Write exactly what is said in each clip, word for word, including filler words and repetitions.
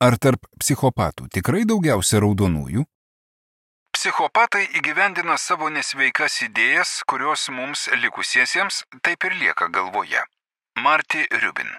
Ar tarp psichopatų tikrai daugiausia raudonųjų? Psichopatai įgyvendina savo nesveikas idėjas, kurios mums likusiesiems taip ir lieka galvoje. Marty Rubin.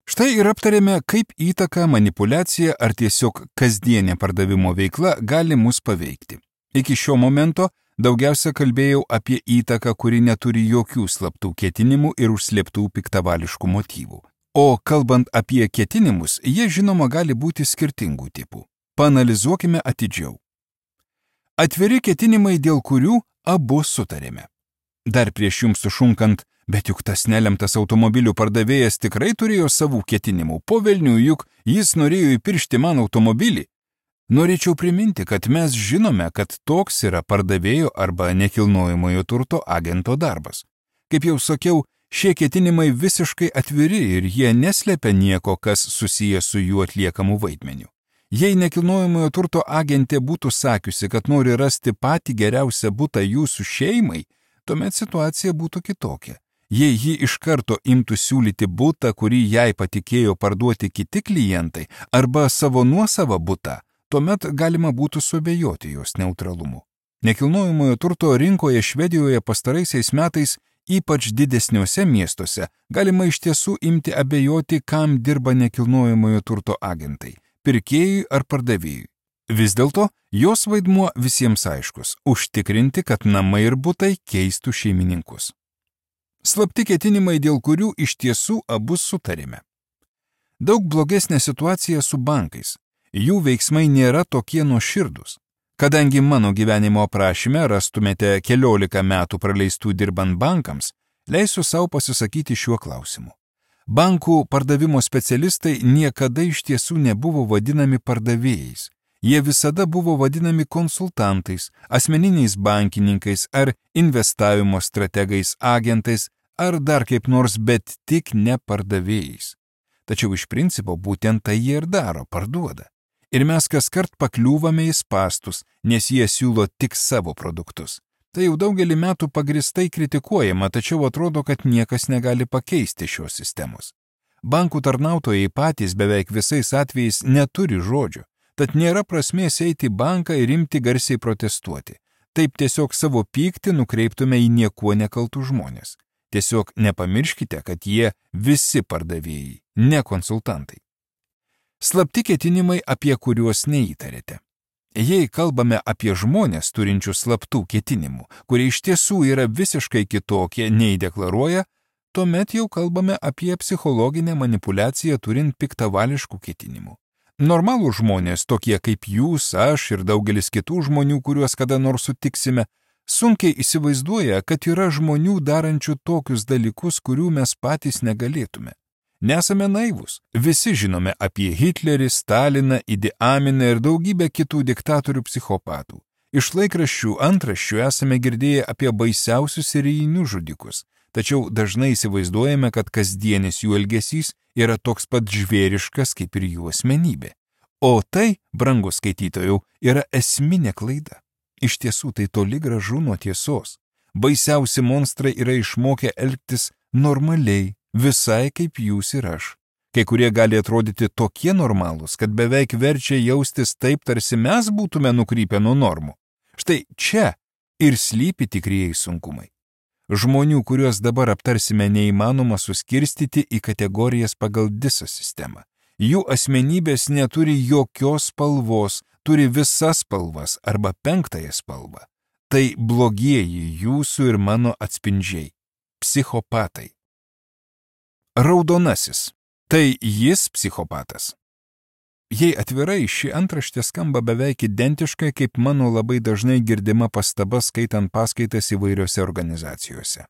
Štai ir aptarėme, kaip įtaka, manipuliacija ar tiesiog kasdienė pardavimo veikla gali mus paveikti. Iki šio momento daugiausia kalbėjau apie įtaką, kuri neturi jokių slaptų ketinimų ir užslėptų piktavališkų motyvų. O kalbant apie ketinimus, jie žinoma gali būti skirtingų tipų. Paanalizuokime atidžiau. Atviri ketinimai, dėl kurių abu sutarėme. Dar prieš jums sušunkant, bet juk tas nelemtas automobilių pardavėjas tikrai turėjo savų ketinimų, po velnių juk jis norėjo įpiršti man automobilį. Norėčiau priminti, kad mes žinome, kad toks yra pardavėjo arba nekilnojamojo turto agento darbas. Kaip jau sakiau, šie ketinimai visiškai atviri ir jie neslepia nieko, kas susijęs su jų atliekamu vaidmeniu. Jei nekilnojamojo turto agentė būtų sakiusi, kad nori rasti patį geriausią butą jūsų šeimai, tuomet situacija būtų kitokia. Jei ji iš karto imtų siūlyti butą, kurį jai patikėjo parduoti kiti klientai, arba savo nuosavą butą, tuomet galima būtų suabejoti jos neutralumu. Nekilnojamojo turto rinkoje Švedijoje pastaraisiais metais, ypač didesniuose miestuose, galima iš tiesų imti abejoti, kam dirba nekilnojamojo turto agentai – pirkėjui ar pardavėjui. Vis dėlto, jos vaidmuo visiems aiškus – užtikrinti, kad namai ir butai keistų šeimininkus. Slapti ketinimai, dėl kurių iš tiesų abu sutarėme. Daug blogesnė situacija su bankais. Jų veiksmai nėra tokie nuoširdūs. Kadangi mano gyvenimo aprašyme rastumėte keliolika metų praleistų dirbant bankams, leisiu savo pasisakyti šiuo klausimu. Bankų pardavimo specialistai niekada iš tiesų nebuvo vadinami pardavėjais. Jie visada buvo vadinami konsultantais, asmeniniais bankininkais ar investavimo strategais, agentais ar dar kaip nors, bet tik ne pardavėjais. Tačiau iš principo būtent tai jie ir daro, parduoda. Ir mes kaskart pakliūvame į spąstus, nes jie siūlo tik savo produktus. Tai jau daugelį metų pagristai kritikuojama, tačiau atrodo, kad niekas negali pakeisti šios sistemos. Bankų tarnautojai patys beveik visais atvejais neturi žodžio, tad nėra prasmės eiti į banką ir imti garsiai protestuoti. Taip tiesiog savo pyktį nukreiptume į niekuo nekaltų žmonės. Tiesiog nepamirškite, kad jie visi pardavėjai, ne konsultantai. Slapti ketinimai, apie kuriuos neįtarėte. Jei kalbame apie žmonės turinčius slaptų ketinimų, kurie iš tiesų yra visiškai kitokie nei deklaruoja, tuomet jau kalbame apie psichologinę manipuliaciją turint piktavališkų ketinimų. Normalų žmonės, tokie kaip jūs, aš ir daugelis kitų žmonių, kuriuos kada nors sutiksime, sunkiai įsivaizduoja, kad yra žmonių darančių tokius dalykus, kurių mes patys negalėtume. Nesame naivūs. Visi žinome apie Hitlerį, Staliną, Idi Aminą ir daugybę kitų diktatorių psichopatų. Iš laikraščių antraščių esame girdėję apie baisiausius serijinius žudikus, tačiau dažnai įsivaizduojame, kad kasdienis jų elgesys yra toks pat žvėriškas kaip ir jų asmenybė. O tai, brangus skaitytojau, yra esminė klaida. Iš tiesų tai toli gražu nuo tiesos. Baisiausi monstrai yra išmokę elgtis normaliai, visai kaip jūs ir aš. Kai kurie gali atrodyti tokie normalūs, kad beveik verčia jaustis taip, tarsi mes būtume nukrypę nuo normų. Štai čia ir slypi tikrieji sunkumai. Žmonių, kuriuos dabar aptarsime, neįmanoma suskirstyti į kategorijas pagal DISO sistemą. Jų asmenybės neturi jokios spalvos, turi visas spalvas arba penktąją spalvą. Tai blogieji jūsų ir mano atspindžiai – psichopatai. Raudonasis. Tai jis psichopatas. Jei atvirai, ši antraštė skamba beveik identiškai kaip mano labai dažnai girdima pastaba skaitant paskaitas įvairiose organizacijose.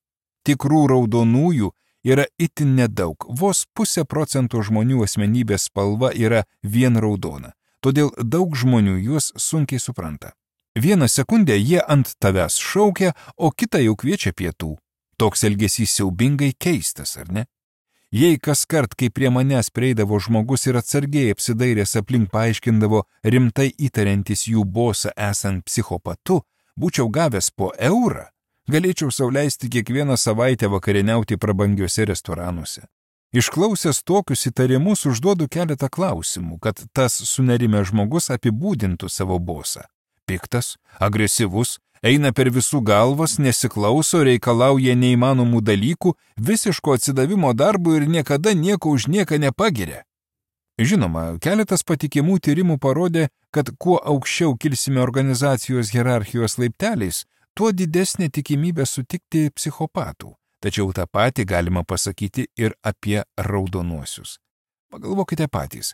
Tikrų raudonųjų yra itin nedaug, vos pusė procento žmonių asmenybės spalva yra vien raudona, todėl daug žmonių juos sunkiai supranta. Vieną sekundę jie ant tavęs šaukia, o kitą jau kviečia pietų. Toks elgesys siaubingai keistas, ar ne? Jei kaskart, kai prie manęs prieidavo žmogus ir atsargiai apsidairęs aplink paaiškindavo rimtai įtariantis jų bosą esant psichopatu, būčiau gavęs po eurą, galėčiau sau leisti kiekvieną savaitę vakarieniauti prabangiuose restoranuose. Išklausęs tokius įtarimus užduodu keletą klausimų, kad tas sunerimęs žmogus apibūdintų savo bosą. Piktas, agresyvus, eina per visų galvas, nesiklauso, reikalauja neįmanomų dalykų, visiško atsidavimo darbų ir niekada nieko už nieką nepagiria. Žinoma, keletas patikimų tyrimų parodė, kad kuo aukščiau kilsime organizacijos hierarchijos laipteliais, tuo didesnė tikimybė sutikti psichopatų. Tačiau tą patį galima pasakyti ir apie raudonuosius. Pagalvokite patys,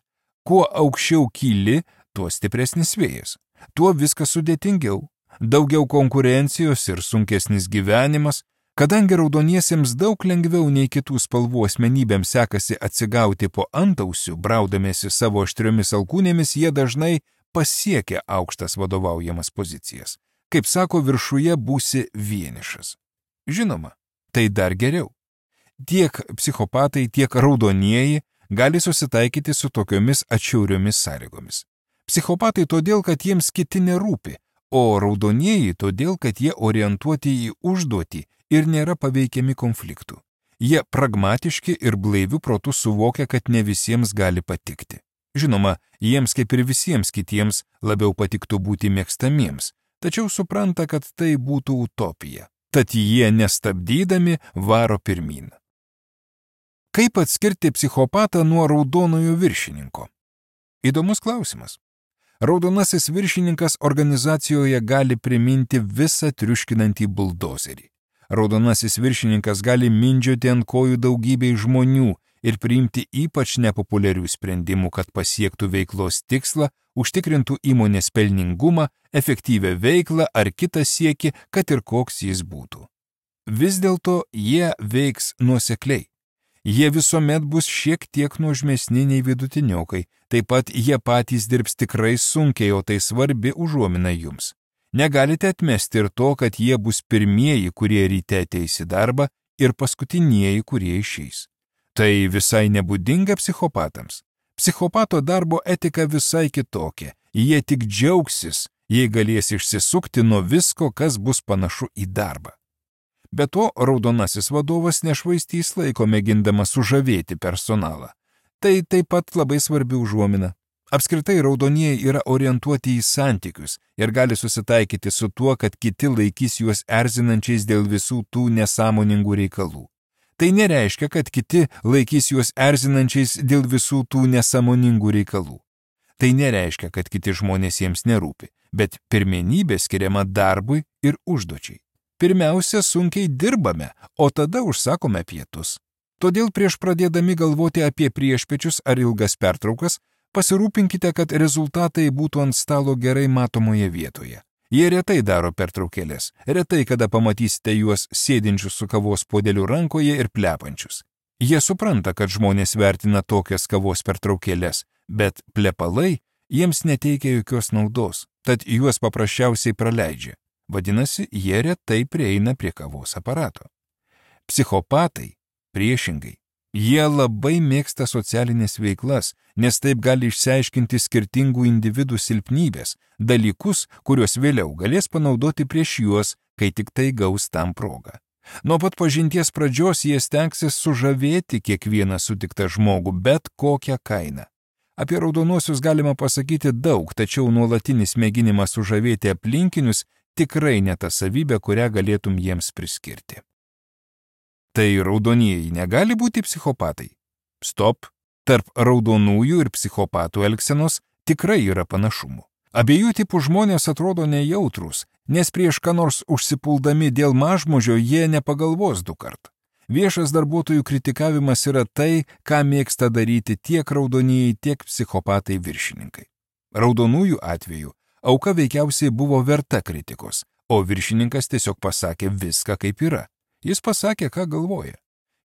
kuo aukščiau kyli, tuo stipresnis vėjas, tuo viskas sudėtingiau, daugiau konkurencijos ir sunkesnis gyvenimas. Kadangi raudoniesiems daug lengviau nei kitų spalvų asmenybėms sekasi atsigauti po antausių, braudamėsi savo aštriomis alkūnėmis, jie dažnai pasiekia aukštas vadovaujamas pozicijas. Kaip sako, viršuje būsi vienišas. Žinoma, tai dar geriau. Tiek psichopatai, tiek raudonieji gali susitaikyti su tokiomis atšiauriomis sąlygomis. Psichopatai todėl, kad jiems kiti nerūpi, o raudonieji todėl, kad jie orientuoti į užduotį ir nėra paveikiami konfliktų. Jie pragmatiški ir blaivių protų suvokia, kad ne visiems gali patikti. Žinoma, jiems kaip ir visiems kitiems labiau patiktų būti mėgstamiems, tačiau supranta, kad tai būtų utopija. Tad jie nestabdydami varo pirmyn. Kaip atskirti psichopatą nuo raudonojo viršininko? Įdomus klausimas. Raudonasis viršininkas organizacijoje gali priminti visą triuškinantį buldozerį. Raudonasis viršininkas gali mindžioti ant kojų daugybei žmonių ir priimti ypač nepopuliarių sprendimų, kad pasiektų veiklos tikslą, užtikrintų įmonės pelningumą, efektyvią veiklą ar kitą siekį, kad ir koks jis būtų. Vis dėlto jie veiks nuosekliai. Jie visuomet bus šiek tiek nuožmesni nei vidutiniokai, taip pat jie patys dirbs tikrai sunkiai, o tai svarbi užuomina jums. Negalite atmesti ir to, kad jie bus pirmieji, kurie ryte ateis į darbą ir paskutinieji, kurie išeis. Tai visai nebūdinga psichopatams. Psichopato darbo etika visai kitokia. Jie tik džiaugsis, jei galės išsisukti nuo visko, kas bus panašu į darbą. Be to, raudonasis vadovas nešvaistys laiko mėgindamas sužavėti personalą. Tai taip pat labai svarbi užuomina. Apskritai raudonieji yra orientuoti į santykius ir gali susitaikyti su tuo, kad kiti laikys juos erzinančiais dėl visų tų nesąmoningų reikalų. Tai nereiškia, kad kiti laikys juos erzinančiais dėl visų tų nesąmoningų reikalų. Tai nereiškia, kad kiti žmonės jiems nerūpi, bet pirmenybė skiriama darbui ir užduočiai. Pirmiausia, sunkiai dirbame, o tada užsakome pietus. Todėl prieš pradėdami galvoti apie priešpiečius ar ilgas pertraukas, pasirūpinkite, kad rezultatai būtų ant stalo gerai matomoje vietoje. Jie retai daro pertraukėlės, retai kada pamatysite juos sėdinčius su kavos puodeliu rankoje ir plepančius. Jie supranta, kad žmonės vertina tokias kavos pertraukėlės, bet plepalai jiems neteikia jokios naudos, tad juos paprasčiausiai praleidžia. Vadinasi, jie retai prieina prie kavos aparato. Psichopatai, priešingai, jie labai mėgsta socialinės veiklas, nes taip gali išsiaiškinti skirtingų individų silpnybės, dalykus, kuriuos vėliau galės panaudoti prieš juos, kai tik tai gaus tam progą. Nuo pat pažinties pradžios jie stengsis sužavėti kiekvieną sutiktą žmogų, bet kokią kainą. Apie raudonuosius galima pasakyti daug, tačiau nuolatinis mėginimas sužavėti aplinkinius tikrai ne ta savybė, kurią galėtum jiems priskirti. Tai raudonieji negali būti psichopatai. Stop, tarp raudonųjų ir psichopatų elgsenos tikrai yra panašumų. Abiejų tipų žmonės atrodo nejautrus, nes prieš ką nors užsipuldami dėl mažmožio jie nepagalvos du kart. Viešas darbuotojų kritikavimas yra tai, ką mėgsta daryti tiek raudonieji, tiek psichopatai viršininkai. Raudonųjų atveju auka veikiausiai buvo verta kritikos, o viršininkas tiesiog pasakė viską kaip yra. Jis pasakė, ką galvoja.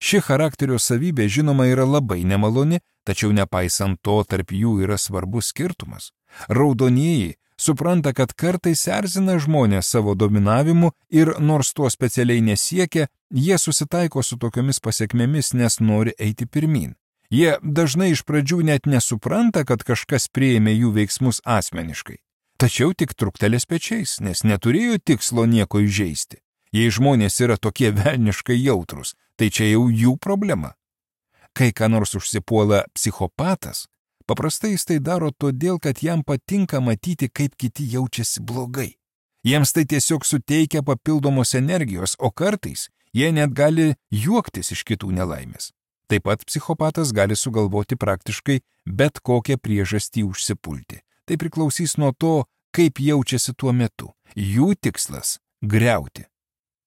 Ši charakterio savybė žinoma yra labai nemaloni, tačiau nepaisant to tarp jų yra svarbus skirtumas. Raudonieji supranta, kad kartais erzina žmonės savo dominavimu ir nors to specialiai nesiekia, jie susitaiko su tokiomis pasekmėmis, nes nori eiti pirmyn. Jie dažnai iš pradžių net nesupranta, kad kažkas priėmė jų veiksmus asmeniškai. Tačiau tik truktelės pečiais, nes neturėjo tikslo nieko įžeisti. Jei žmonės yra tokie velniškai jautrus, tai čia jau jų problema. Kai ką nors užsipuola psichopatas, paprastai jis tai daro todėl, kad jam patinka matyti, kaip kiti jaučiasi blogai. Jiems tai tiesiog suteikia papildomos energijos, o kartais jie net gali juoktis iš kitų nelaimės. Taip pat psichopatas gali sugalvoti praktiškai bet kokią priežastį užsipulti. Tai priklausys nuo to, kaip jaučiasi tuo metu. Jų tikslas – griauti.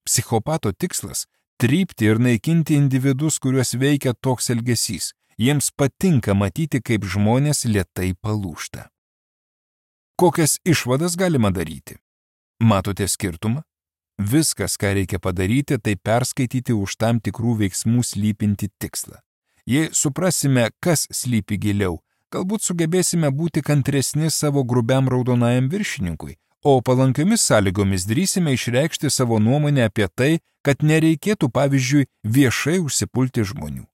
Psichopato tikslas – trypti ir naikinti individus, kuriuos veikia toks elgesys. Jiems patinka matyti, kaip žmonės lėtai palūžta. Kokias išvadas galima daryti? Matote skirtumą? Viskas, ką reikia padaryti, tai perskaityti už tam tikrų veiksmų slypinti tikslą. Jei suprasime, kas slypi giliau, galbūt sugebėsime būti kantresni savo grubiam raudonajam viršininkui, o palankiomis sąlygomis drįsime išreikšti savo nuomonę apie tai, kad nereikėtų, pavyzdžiui, viešai užsipulti žmonių.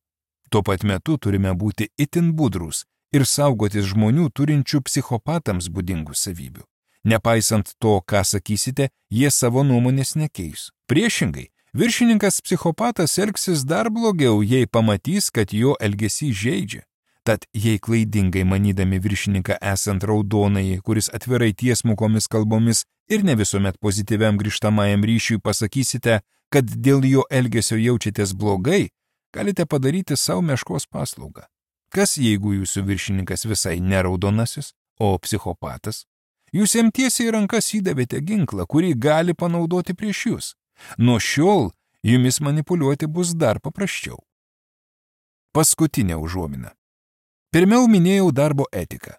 Tuo pat metu turime būti itin budrūs ir saugotis žmonių turinčių psichopatams būdingų savybių. Nepaisant to, ką sakysite, jie savo nuomonės nekeis. Priešingai, viršininkas psichopatas elgsis dar blogiau, jei pamatys, kad jo elgesys žeidžia. Tad jei klaidingai manydami viršininką esant raudonai, kuris atvirai tiesmukomis kalbomis ir ne visuomet pozityviam grįžtamajam ryšiui pasakysite, kad dėl jo elgesio jaučiatės blogai, galite padaryti savo meškos paslaugą. Kas jeigu jūsų viršininkas visai ne raudonasis, o psichopatas? Jūs jam tiesiai į rankas įdavėte ginklą, kurį gali panaudoti prieš jūs. Nuo šiol jumis manipuliuoti bus dar paprasčiau. Paskutinė užuomina. Pirmiau minėjau darbo etiką.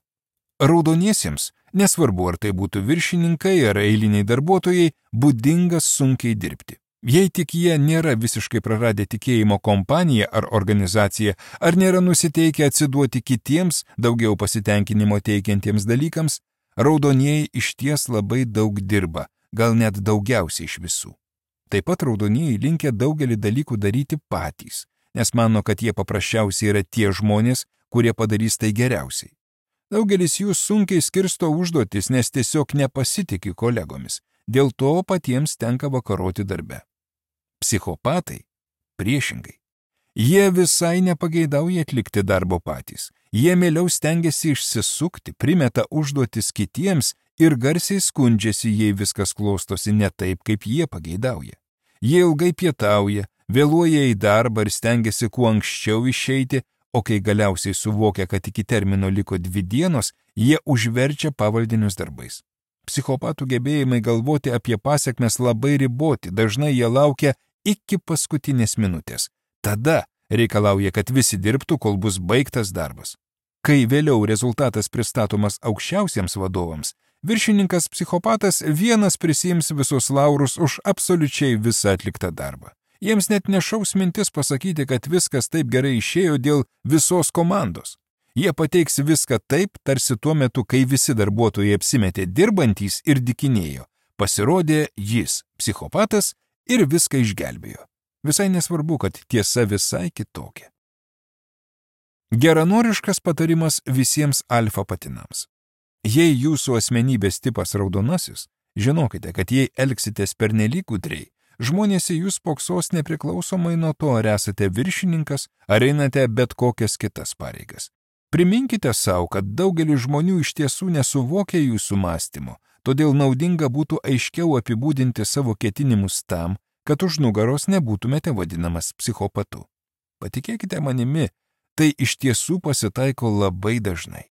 Raudoniesiems, nesvarbu ar tai būtų viršininkai ar eiliniai darbuotojai, būdingas sunkiai dirbti. Jei tik jie nėra visiškai praradę tikėjimo kompaniją ar organizaciją, ar nėra nusiteikę atsiduoti kitiems, daugiau pasitenkinimo teikiantiems dalykams, raudonieji išties labai daug dirba, gal net daugiausiai iš visų. Taip pat raudonieji linkę daugelį dalykų daryti patys, nes mano, kad jie paprasčiausiai yra tie žmonės, kurie padarys tai geriausiai. Daugelis jų sunkiai skirsto užduotis, nes tiesiog nepasitiki kolegomis, dėl to patiems tenka vakaroti darbe. Psichopatai priešingai. Jie visai nepageidauja atlikti darbo patys. Jie mieliau stengiasi išsisukti, primeta užduotis kitiems ir garsiai skundžiasi, jei viskas klostosi ne taip, kaip jie pageidauja. Jie ilgai pietauja, vėluoja į darbą ir stengiasi kuo anksčiau išeiti, o kai galiausiai suvokia, kad iki termino liko dvi dienos, jie užverčia pavaldinius darbais. Psichopatų gebėjimai galvoti apie pasekmes labai riboti, dažnai jie laukia iki paskutinės minutės. Tada reikalauja, kad visi dirbtų, kol bus baigtas darbas. Kai vėliau rezultatas pristatomas aukščiausiems vadovams, viršininkas psichopatas vienas prisiims visus laurus už absoliučiai visą atliktą darbą. Jiems net nešaus mintis pasakyti, kad viskas taip gerai išėjo dėl visos komandos. Jie pateiks viską taip, tarsi tuo metu, kai visi darbuotojai apsimetė dirbantys ir dikinėjo. Pasirodė jis, psichopatas, ir viską išgelbėjo. Visai nesvarbu, kad tiesa visai kitokia. Geranoriškas patarimas visiems alfa patinams. Jei jūsų asmenybės tipas raudonasis, žinokite, kad jei elgsitės pernelyg gudriai, žmonės į jūs spoksos nepriklausomai nuo to, ar esate viršininkas, ar einate bet kokias kitas pareigas. Priminkite savo, kad daugelis žmonių iš tiesų nesuvokia jūsų mąstymo, todėl naudinga būtų aiškiau apibūdinti savo ketinimus tam, kad už nugaros nebūtumėte vadinamas psichopatu. Patikėkite manimi, tai iš tiesų pasitaiko labai dažnai.